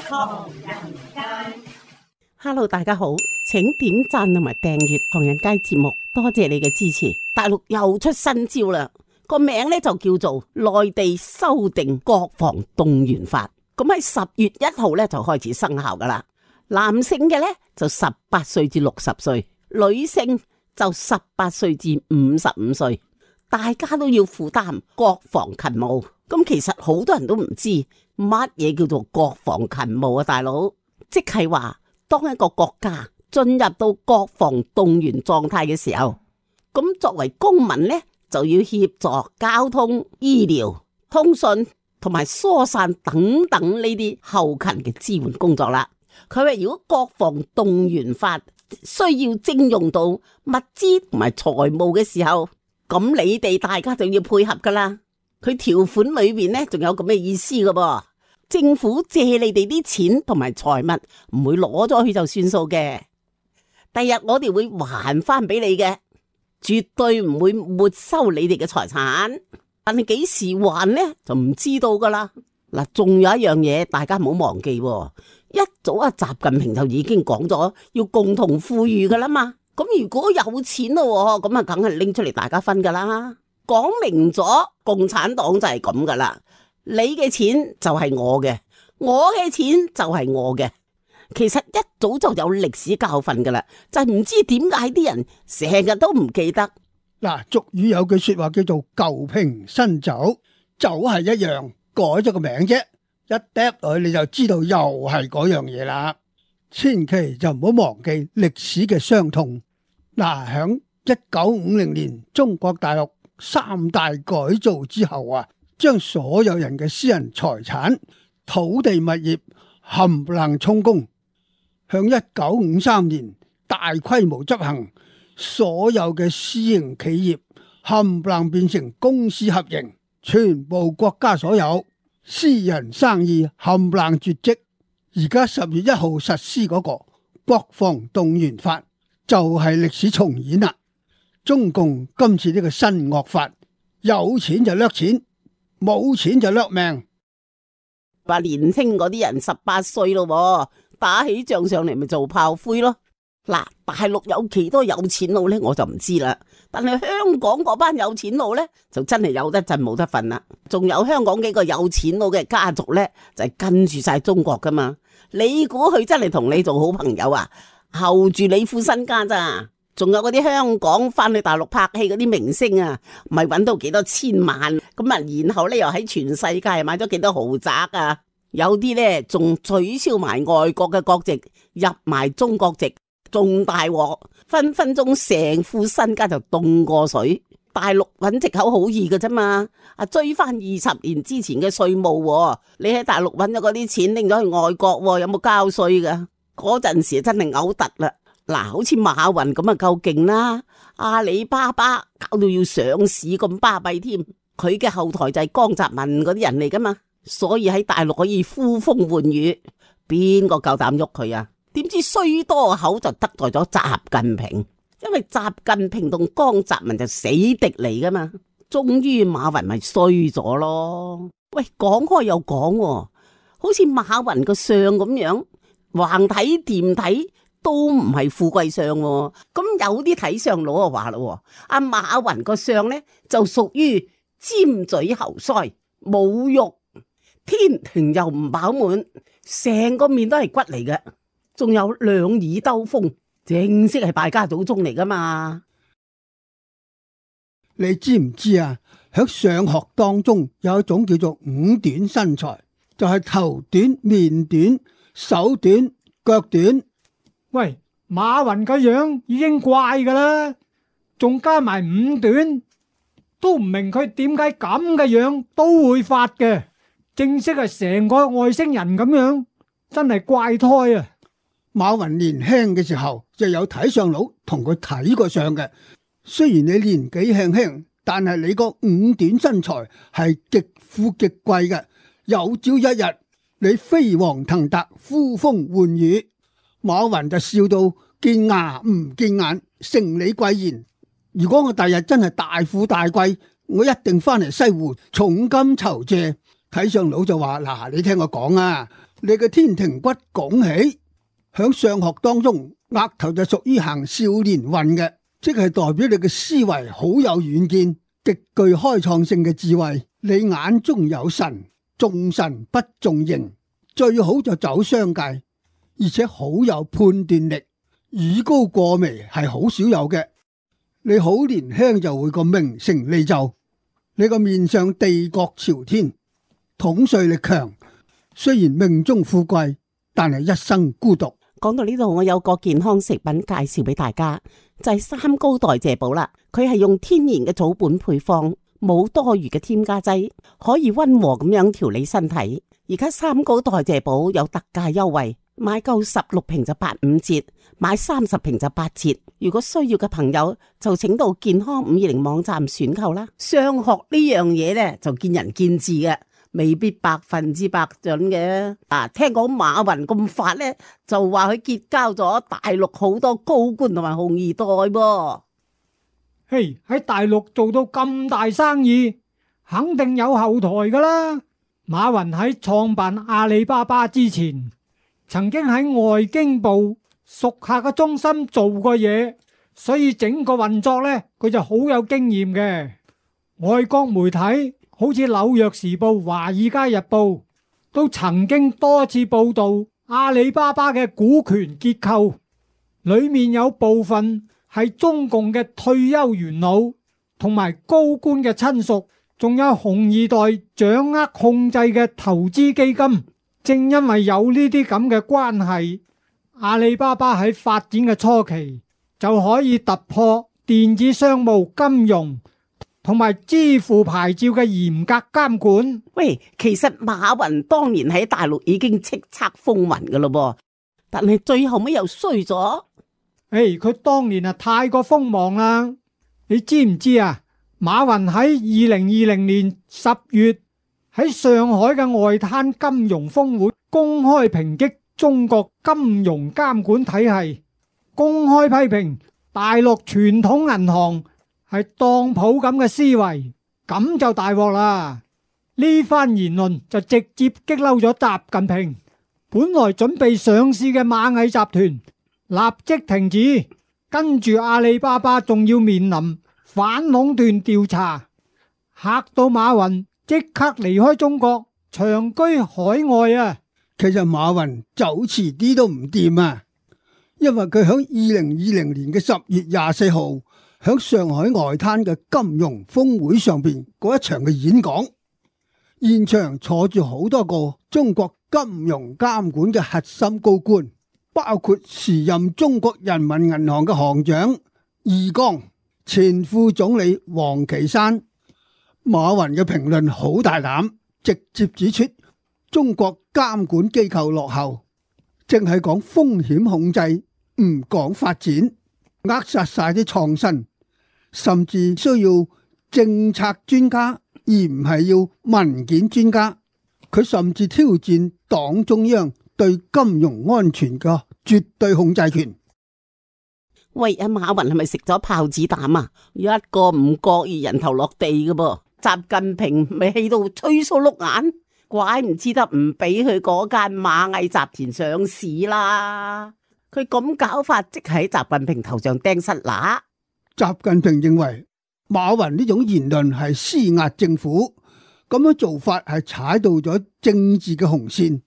唐人街。Hello， 大家好，請點讚同埋訂閱唐人街節目，多謝你嘅支持。大陸又出新招啦，個名咧就叫做內地修訂國防動員法。咁喺10月1號咧就開始生效噶啦。男性嘅咧就18歲至60歲，女性就18歲至55歲，大家都要負擔國防勤務。咁其實好多人都唔知乜嘢叫做國防勤務啊，大佬，即係話當一個國家進入到國防動員狀態嘅時候，咁作為公民呢，就要協助交通、醫療、通訊同埋疏散等等呢啲後勤嘅支援工作啦。佢話如果國防動員法需要徵用到物資同埋財務嘅時候，咁你哋大家就要配合噶啦。佢條款裏邊呢，仲有咁嘅意思噶噃，政府借你哋啲錢同埋財物，唔會攞咗去就算數嘅。第日我哋會還翻俾你嘅，絕對唔會沒收你哋嘅財產。但係幾時還呢，就唔知道噶啦。嗱，仲有一樣嘢，大家唔好忘記，一早習近平就已經講咗要共同富裕噶啦嘛。咁如果有錢咯，咁啊梗係拎出嚟大家分噶啦。講明咗，共產黨就係咁噶啦，你嘅錢就係我嘅，我嘅錢就係我嘅。其實一早就有歷史教訓噶啦，就係唔知點解啲人成日都唔記得。嗱，俗語有句說話叫做舊瓶新酒，酒係一樣，改咗個名啫，一嗒落去你就知道又係嗰樣嘢啦。千祈就唔好忘記歷史嘅傷痛。嗱，響1950年中國大陸3大改造之後啊，將所有人嘅私人財產、土地物業冚唪唥充公。向1953年大規模執行，所有嘅私營企業冚唪唥變成公私合營，全部國家所有，私人生意冚唪唥絕跡。而家10月1號實施嗰個國防動員法就係歷史重演啦。中共今次呢個新惡法，有錢就掠錢，冇錢就掠命。話年輕嗰啲人18歲咯，打起仗上嚟咪做炮灰咯。嗱，大陸有幾多有錢佬呢？我就唔知啦。但係香港嗰班有錢佬呢，就真係有得震冇得瞓啦。仲有香港幾個有錢佬嘅家族呢，就係跟住晒中國噶嘛。你估佢真係同你做好朋友啊？候住你副身家咋？仲有嗰啲香港翻去大陸拍戲嗰啲明星啊，咪揾到幾多千萬咁啊？然後咧又喺全世界買咗幾多豪宅啊？有啲咧仲取消埋外國嘅國籍，入埋中國籍，仲大鑊，分分鐘成副身家就凍過水。大陸揾藉口好易㗎啫嘛，追翻20年之前嘅稅務，你喺大陸揾咗嗰啲錢拎咗去外國，有冇交稅噶？嗰陣時真係嘔突啦！嗱，好似馬雲咁啊，夠勁啦！阿里巴巴搞到要上市咁巴閉添，佢嘅後台就係江澤民嗰啲人嚟噶嘛，所以喺大陸可以呼風喚雨，邊個夠膽喐佢啊？點知衰多口就得罪咗習近平，因為習近平同江澤民就死敵嚟噶嘛，終於馬雲咪衰咗咯。喂，講開又講，好似馬雲個相咁樣，橫睇掂睇都唔係富貴相，咁有啲睇相佬啊話咯，阿馬雲個相呢就屬於尖嘴猴腮，冇肉，天庭又唔飽滿，成個面都係骨嚟嘅，仲有兩耳兜風，正式係敗家祖宗嚟噶嘛？你知唔知啊？喺上學當中有一種叫做五短身材，就係頭短、面短、手短、腳短。喂，馬雲個樣已經怪噶啦，仲加埋五短，都唔明佢點解咁嘅樣都會發嘅，正式係成個外星人咁樣，真係怪胎啊！馬雲年輕嘅時候就有睇相佬同佢睇過相嘅，雖然你年紀輕輕，但係你個五短身材係極富極貴嘅，有朝一日你飛黃騰達、呼風喚雨。馬雲就笑到見牙唔見眼，承你貴言。如果我第日真係大富大貴，我一定翻嚟西湖重金酬謝。睇相佬就話：嗱，你聽我講啊，你嘅天庭骨拱起，響相學當中，額頭就屬於行少年運嘅，即係代表你嘅思維好有遠見，極具開創性嘅智慧。你眼中有神，重神不重形，最好就走商界，而且好有判斷力，語高過微係好少有嘅。你好年輕就會個名成利就，你個面上地國朝天，統帥力強，雖然命中富貴，但係一生孤獨。講到呢度，我有個健康食品介紹俾大家，就係三高代謝寶啦。佢係用天然嘅草本配方，冇多餘嘅添加劑，可以溫和咁樣調理身體。而家三高代謝寶有特價優惠，買夠16瓶就85折，買30瓶就8折。如果需要嘅朋友就請到健康520網站選購啦。相學呢樣嘢呢，就見仁見智嘅，未必100%準嘅。聽講馬雲咁發呢，就話佢結交咗大陸好多高官同埋紅二代噃。嘿，喺大陸做到咁大生意，肯定有後台噶啦。馬雲喺創辦阿里巴巴之前，曾經喺外經部屬下嘅中心做過嘢，所以整個運作呢，佢就好有經驗嘅。外國媒體好似紐約時報、華爾街日報都曾經多次報道阿里巴巴嘅股權結構，裏面有部分係中共嘅退休元老同埋高官嘅親屬，仲有紅二代掌握控制嘅投資基金。正因為有呢啲咁嘅關係，阿里巴巴喺發展嘅初期就可以突破電子商務、金融同埋支付牌照嘅嚴格監管。喂，其實馬雲當年喺大陸已經叱咤風雲噶咯，但係最後尾又衰咗。佢當年太過鋒芒啦，你知唔知啊？馬雲喺2020年10月喺上海嘅外灘金融峰會公開抨擊中國金融監管體系，公開批評大陸傳統銀行係當鋪咁嘅思維，咁就大鑊啦。呢番言論就直接激嬲咗習近平，本來準備上市嘅螞蟻集團立即停止，跟住阿里巴巴仲要面臨反壟斷調查，嚇到馬雲即刻離開中國，長居海外啊！其實馬雲走遲啲都唔掂啊，因為佢喺2020年嘅10月24號喺上海外灘嘅金融峰會上邊嗰一場嘅演講，現場坐住好多個中國金融監管嘅核心高官，包括時任中國人民銀行嘅行長易綱、前副總理王岐山。馬雲嘅評論好大膽，直接指出中國監管機構落後，淨係講風險控制，唔講發展，扼殺晒啲創新，甚至需要政策專家，而唔係要文件專家。佢甚至挑戰黨中央對金融安全嘅絕對控制權。喂，阿馬雲係咪食咗炮子彈啊？一個唔覺意人頭落地嘅噃。習近平咪氣到吹鬚碌眼，怪唔知得唔俾佢嗰間螞蟻集團上市啦。佢咁搞法，即係喺習近平頭上釘塞乸。習近平認為馬雲呢種言論係施壓政府，咁樣做法係踩到咗政治嘅紅線。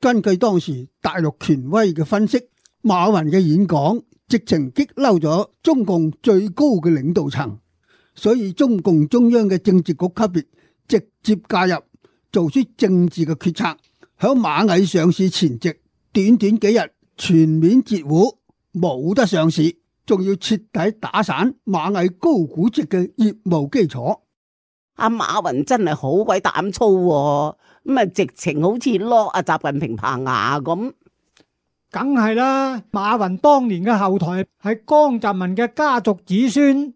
根據當時大陸權威嘅分析，馬雲嘅演講直情激嬲咗中共最高嘅領導層。所以中共中央嘅政治局級別直接介入，做出政治嘅決策，響螞蟻上市前夕，短短幾日全面截胡，冇得上市，仲要徹底打散螞蟻高估值嘅業務基礎。阿馬雲真係好鬼膽粗，咁啊直情好似落阿習近平棚牙咁。梗係啦，馬雲當年嘅後台係江澤民嘅家族子孫。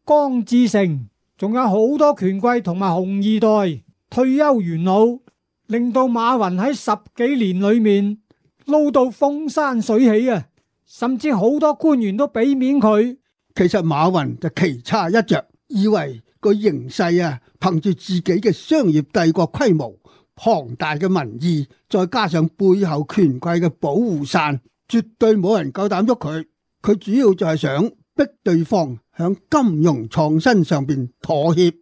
江志成，仲有好多權貴同埋紅二代退休元老，令到馬雲喺10幾年裏面撈到風生水起啊！甚至好多官員都俾面佢。其實馬雲就棋差一着，以為個形勢啊，憑住自己嘅商業帝國規模、龐大嘅民意，再加上背後權貴嘅保護傘，絕對冇人夠膽喐佢。佢主要就係想逼對方響金融創新上邊妥協，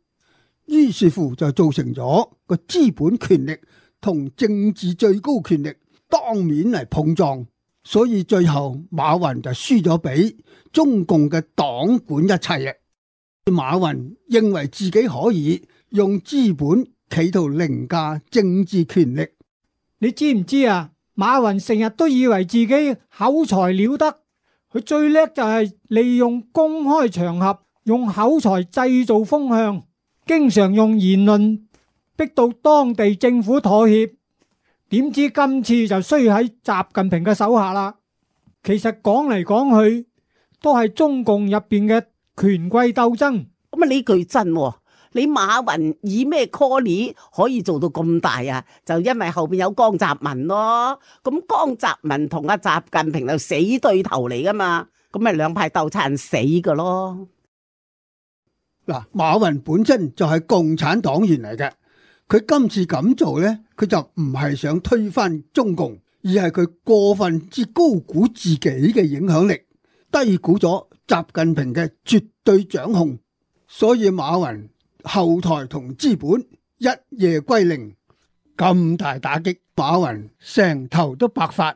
於是乎就造成咗個資本權力同政治最高權力當面嚟碰撞，所以最後馬雲就輸咗俾中共嘅黨管一切。馬雲認為自己可以用資本企圖凌駕政治權力。你知唔知啊？馬雲成日都以為自己口才了得，佢最叻就係利用公開場合用口才製造風向，經常用言論逼到當地政府妥協。點知今次就衰喺習近平嘅手下啦。其實講嚟講去都係中共入邊嘅權貴鬥爭。咁啊呢句真喎，你馬雲以咩 call 可以做到咁大啊？就因為後邊有江澤民咯。咁江澤民同阿習近平就死對頭嚟噶嘛，咁咪兩派鬥殘死噶咯。嗱，馬雲本身就係共產黨員嚟嘅，佢今次咁做呢，佢就唔係想推翻中共，而係佢過分之高估自己嘅影響力，低估咗習近平嘅絕對掌控，所以馬雲後台同資本一夜歸零，咁大打擊，馬雲成頭都白髮，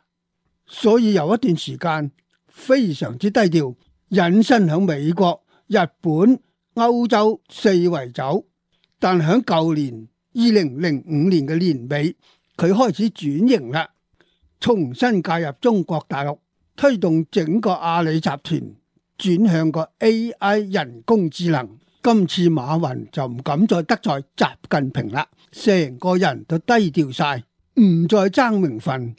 所以有一段時間非常之低調，隱身響美國、日本、歐洲四圍走。但響舊年2005年嘅年尾，佢開始轉型啦，重新介入中國大陸，推動整個阿里集團轉向個 AI 人工智能。今次馬雲就唔敢再得罪習近平啦，成個人都低調晒，唔再爭名分，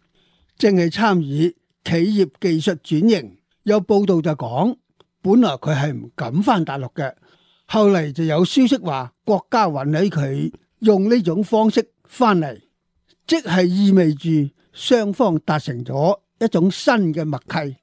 淨係參與企業技術轉型。有報道就講，本來佢係唔敢返大陸嘅，後嚟就有消息話國家允許佢用呢種方式返嚟，即係意味住雙方達成咗一種新嘅默契。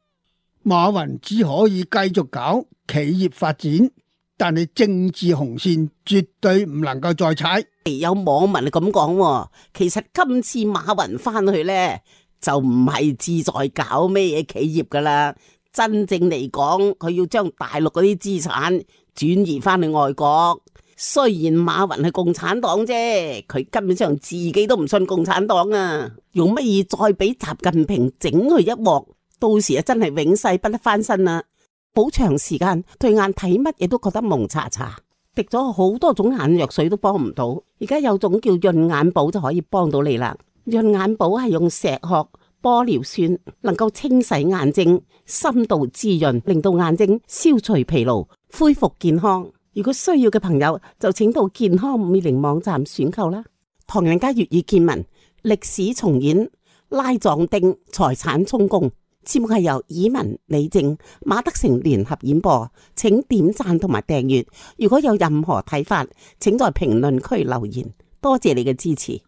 馬雲只可以繼續搞企業發展，但係政治紅線絕對唔能夠再踩。有網民咁講，其實今次馬雲翻去呢，就唔係志在搞咩嘢企業噶啦，真正嚟講，佢要將大陸嗰啲資產轉移翻去外國。雖然馬雲係共產黨啫，佢根本上自己都唔信共產黨啊，用乜嘢再俾習近平整佢一鑊，到時啊真係永世不得翻身啦。好長時間對眼睇乜嘢都覺得蒙查查，滴咗好多種眼藥水都幫唔到，而家有種叫潤眼寶就可以幫到你啦。潤眼寶係用石殼、玻尿酸，能夠清洗眼睛，深度滋潤，令到眼睛消除疲勞，恢復健康。如果需要嘅朋友就請到健康520網站選購啦。唐人街粵語見聞歷史重演拉壯丁財產充公。節目係由以文、李正、馬德成聯合演播，請點讚同埋訂閱。如果有任何睇法，請在評論區留言。多謝你嘅支持。